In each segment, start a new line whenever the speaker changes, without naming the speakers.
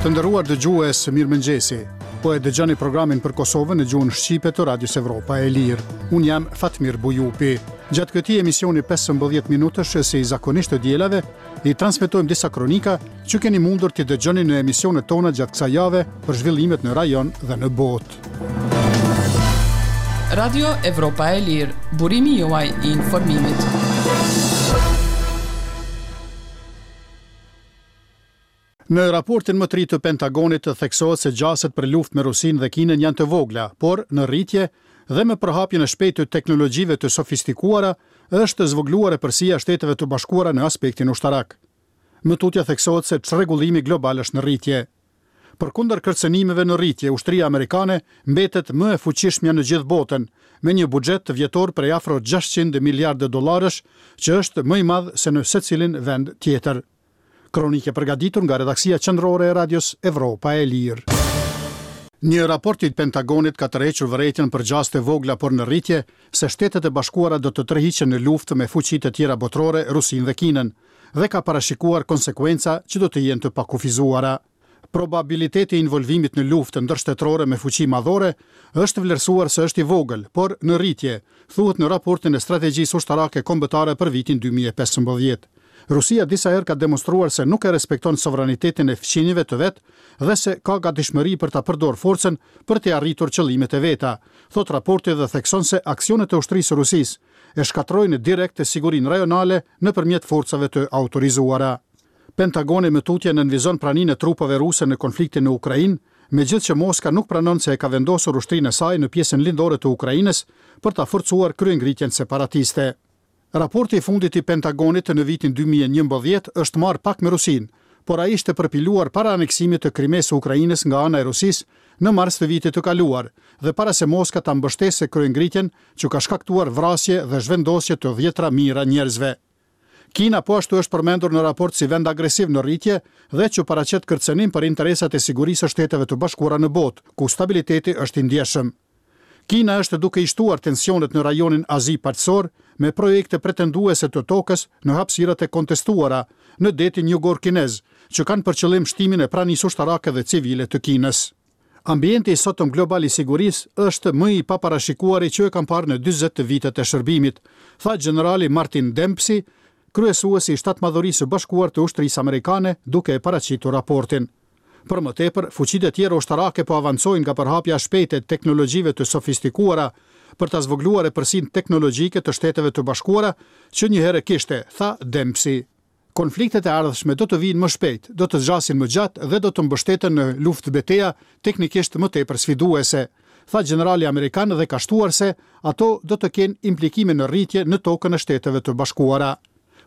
Të nderuar dëgjues, mirëmëngjesi. Po e dëgjoni programin për Kosovën në gjuhën shqipe të Radios Evropa e Lirë. Unë jam Fatmir Bujupi. Gjatë këtij emisioni 15 minutësh, si zakonisht të dielave, i transmetojmë disa kronika që keni mundur t'i dëgjoni në emisionet tona gjatë kësaj jave për zhvillimet në rajon dhe në
botë. Radio Evropa e Lirë, burimi juaj i informimit.
Në raportin më të ri të Pentagonit theksohet se gjasat për luftë me Rusinë dhe Kinën janë të vogla, por në rritje dhe me përhapjen e shpejtë të teknologjive të sofistikuara është zvogëluar epërsia e Shteteve të Bashkuara në aspektin ushtarak. Më tutje theksohet se çrregullimi global është në rritje. Përkundër kërcënimeve në rritje, ushtria amerikane mbetet më e fuqishmja në gjithë botën, me një buxhet vjetor prej afro 600 miliardë dollarësh, që është më i madh se në secilin vend tjetër. Kronikë e përgatitur nga redaksia qendrore e Radios Evropa e Lirë. Një raport i Pentagonit ka tërhequr vërejtjen për gjasë të vogla por në rritje se Shtetet e Bashkuara do të tërhiqen në luftë me fuqitë e tjera botërore, Rusinë dhe Kinën, dhe ka parashikuar konsekuenca që do të jenë të pakufizuara. Probabiliteti i involvimit në luftë ndërshtetërore me fuqi madhore është vlerësuar se është i vogël, por në rritje, thuhet në raportin e Strategjisë Ushtarake Kombëtare për vitin 2015. Rusia disa herë ka demonstruar se nuk e respekton sovranitetin e fqinjëve të vet dhe se ka gatishmëri për ta përdorë forcën për t'i arritur qëllimet e veta, thotë raporti dhe thekson se aksionet e ushtrisë së Rusisë e shkatërrojnë direkt sigurinë rajonale nëpërmjet forcave të autorizuara. Pentagoni më tutje nënvizon praninë e trupave ruse në konfliktin në Ukrainë, megjithëqë Moska nuk pranon se e ka vendosur ushtrinë e saj në pjesën lindore të Ukrainës për ta forcuar kryengritjen separatiste. Raporti i fundit i Pentagonit në vitin 2011 është marrë pak me Rusinë, por ai ishte përpiluar para aneksimit të Krimesë së Ukrainës nga ana e Rusisë në mars të vitit të kaluar dhe para se Moska ta mbështesë kryengritjen që ka shkaktuar vrasje dhe zhvendosje të dhjetëra mijëra njerëzve. Kina po ashtu është përmendur në raport si vend agresiv në rritje dhe që paraqet kërcënim për interesat e sigurisë së Shteteve të Bashkuara në botë, ku stabiliteti është i ndjeshëm. Kina është duke i shtuar tensionet në rajonin Azi-Paqësor me projekte pretenduese të tokës në hapësirat e kontestuara në detin jugor kinez, që kanë për qëllim shtimin e pranisë ushtarake dhe civile të Kinës. Ambienti i sotëm global i sigurisë është më i paparashikuari që e kam parë në 40 vitet e shërbimit, tha gjenerali Martin Dempsey, kryesuesi i Shtatmadhorisë së Bashkuar të Ushtrisë Amerikane, duke e paraqitur raportin. Për më tepër, fuqitë e tjera ushtarake po avancojnë nga përhapja e shpejtë e teknologjive të sofistikuara për ta zvogëluar epërsinë teknologjike të Shteteve të Bashkuara që njëherë kishte, tha Dempsey. Konfliktet e ardhshme do të vijnë më shpejt, do të zgjasin më gjatë dhe do të mbështeten në luftëbeteja teknikisht më tepër sfiduese, tha gjenerali amerikan dhe ka shtuar se ato do të kenë implikime në rritje në tokën e Shteteve të Bashkuara.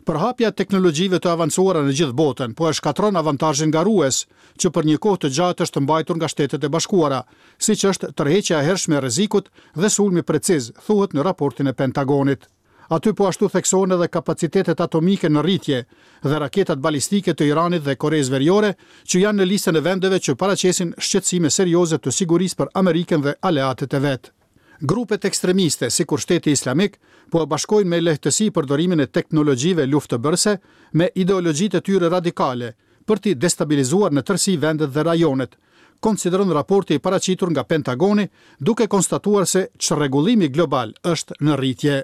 Përhapja e teknologjive të avancuara në gjithë botën po e shkatërron avantazhin garues, që për një kohë të gjatë është mbajtur nga Shtetet e Bashkuara, siç është tërheqja e hershme e rrezikut dhe sulmi preciz, thuhet në raportin e Pentagonit. Aty po ashtu theksohen edhe kapacitetet atomike në rritje dhe raketat balistike të Iranit dhe Koresë Veriore, që janë në listën e vendeve që paraqesin shqetësime serioze të sigurisë për Amerikën dhe aleatët e vet. Grupet ekstremiste, sikur Shteti Islamik, po e bashkojnë me lehtësi përdorimin e teknologjive luftëbërëse me ideologjitë e tyre radikale, për t'i destabilizuar në tërësi vendet dhe rajonet, konsideron raporti i paraqitur nga Pentagoni, duke konstatuar se çrregullimi global është në rritje.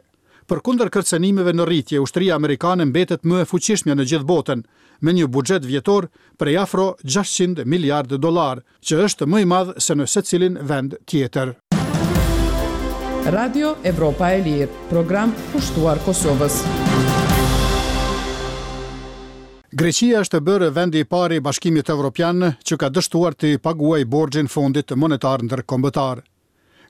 Përkundër kërcënimeve në rritje, ushtria amerikane mbetet më e fuqishmja në gjithë botën, me një buxhet vjetor prej afro 600 miliardë dollarë, që është më i madh se në secilin vend tjetër.
Radio Evropa e Lirë, program kushtuar Kosovës.
Greqia është bërë vendi i parë i Bashkimit Evropian që ka dështuar t'i paguajë borxhin Fondit Monetar Ndërkombëtar.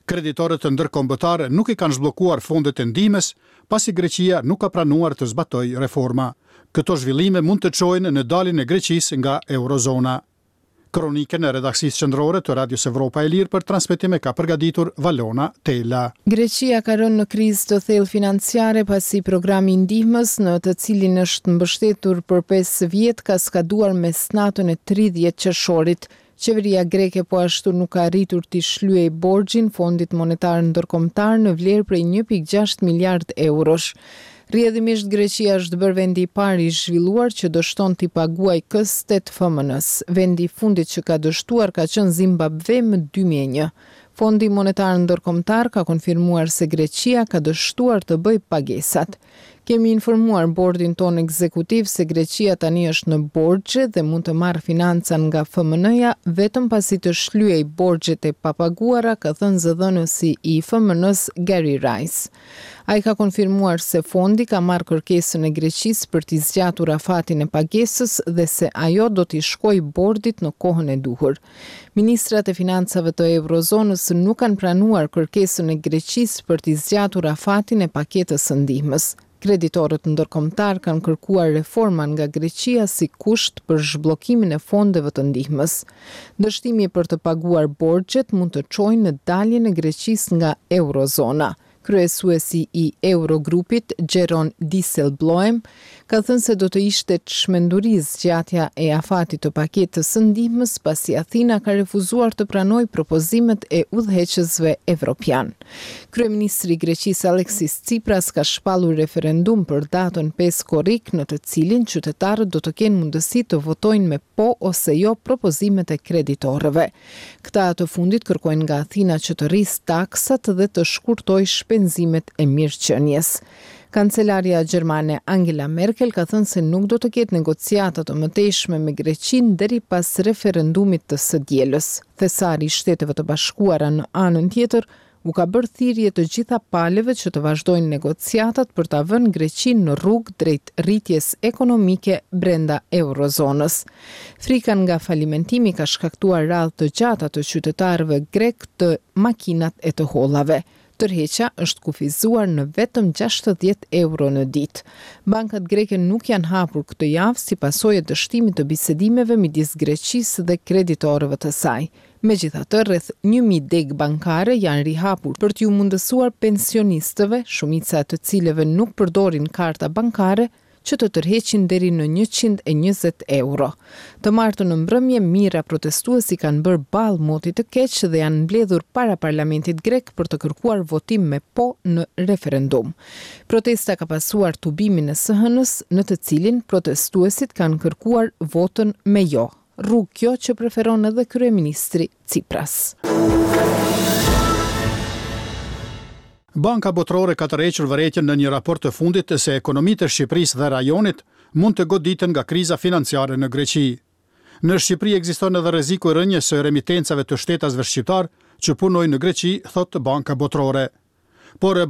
Kreditorët ndërkombëtarë nuk i kanë zhbllokuar fondet e ndihmës, pasi Greqia nuk ka pranuar të zbatojë reforma. Këto zhvillime mund të çojnë në daljen e Greqisë nga Eurozona. Kronikën e redaksisë qendrore të Radios Evropa e Lirë për transmetim e ka përgatitur Valona Tela.
Greqia ka rënë në krizë të thellë financiare pasi programi i ndihmës në të cilin është mbështetur për 5 vjet ka skaduar mesnatën e 30 qershorit. Qeveria greke po ashtu nuk ka arritur t'i shlyejë borxhin Fondit Monetar Ndërkombëtar në vlerë prej 1.6 miliard eurosh. Rrjedhimisht Greqia është bërë vendi i parë i zhvilluar që dështon t'i paguajë këstet FMN-së. Vendi i fundit që ka dështuar ka qenë Zimbabve më 2001. Fondi Monetar Ndërkombëtar ka konfirmuar se Greqia ka dështuar të bëjë pagesat. Kemi informuar bordin tonë ekzekutiv se Greqia tani është në borxhe dhe mund të marrë financa nga FMN-ja vetëm pasi të shlyejë borxhet e papaguara, ka thënë zëdhënësi i FMN-së Gary Rice. Ai ka konfirmuar se fondi ka marrë kërkesën e Greqisë për t'i zgjatur afatin e pagesës dhe se ajo do t'i shkojë bordit në kohën e duhur. Ministrat e Financave të Eurozonës nuk kanë pranuar kërkesën e Greqisë për t'i zgjatur afatin e paketës së ndihmës. Kreditorët ndërkombëtarë kanë kërkuar reforma nga Greqia si kusht për zhbllokimin e fondeve të ndihmës. Dështimi për të paguar borxhet mund të çojë në daljen e Greqisë nga Eurozona. Kryesuesi i Eurogrupit, Jeroen Dijsselbloem, ka thënë se do të ishte çmenduri zgjatja e afatit të paketës së ndihmës pasi Athina ka refuzuar të pranojë propozimet e udhëheqësve evropianë. Kryeministri i Greqisë Alexis Tsipras ka shpallur referendum për datën 5 korrik në të cilin qytetarët do të kenë mundësi të votojnë me po ose jo propozimet e kreditorëve. Këta të fundit kërkojnë nga Athina që të rrisë taksat dhe të shkurtojë shpenzimet e mirëqenies. Kancelarja gjermane Angela Merkel ka thënë se nuk do të ketë negociata të mëtejshme me Greqinë deri pas referendumit të së dielës. Thesari i Shteteve të Bashkuara në anën tjetër u ka bërë thirrje të gjitha palëve që të vazhdojnë negociatat për ta vënë Greqinë në rrugë drejt rritjes ekonomike brenda eurozonës. Frika nga falimentimi ka shkaktuar radhë të gjata të qytetarëve grekë te makinat e të hollave. Tërheqja është kufizuar në vetëm 60 euro në ditë. Bankat greke nuk janë hapur këtë javë si pasojë e dështimit të bisedimeve midis Greqisë dhe kreditorëve të saj. Megjithatë, rreth 1000 degë bankare janë rihapur për t'iu mundësuar pensionistëve, shumica e të cilëve nuk përdorin karta bankare, që të tërheqin deri në 120 euro. Të martën në mbrëmje, mijëra protestues i kanë bërë ballë motit të keq dhe janë mbledhur para parlamentit grek për të kërkuar votim me po në referendum. Protesta ka pasuar tubimin e së hënës, në të cilin protestuesit kanë kërkuar votën me jo. Rrugë kjo që preferon edhe kryeministri Tsipras.
Banka Botërore ka tërhequr vërejtjen në një raport të fundit se ekonomitë e Shqipërisë dhe rajonit mund të goditen nga kriza financiare në Greqi. Në Shqipëri ekziston edhe rreziku i rënies së remitencave të shtetasve shqiptarë që punojnë në Greqi, thotë Banka Botërore. Por.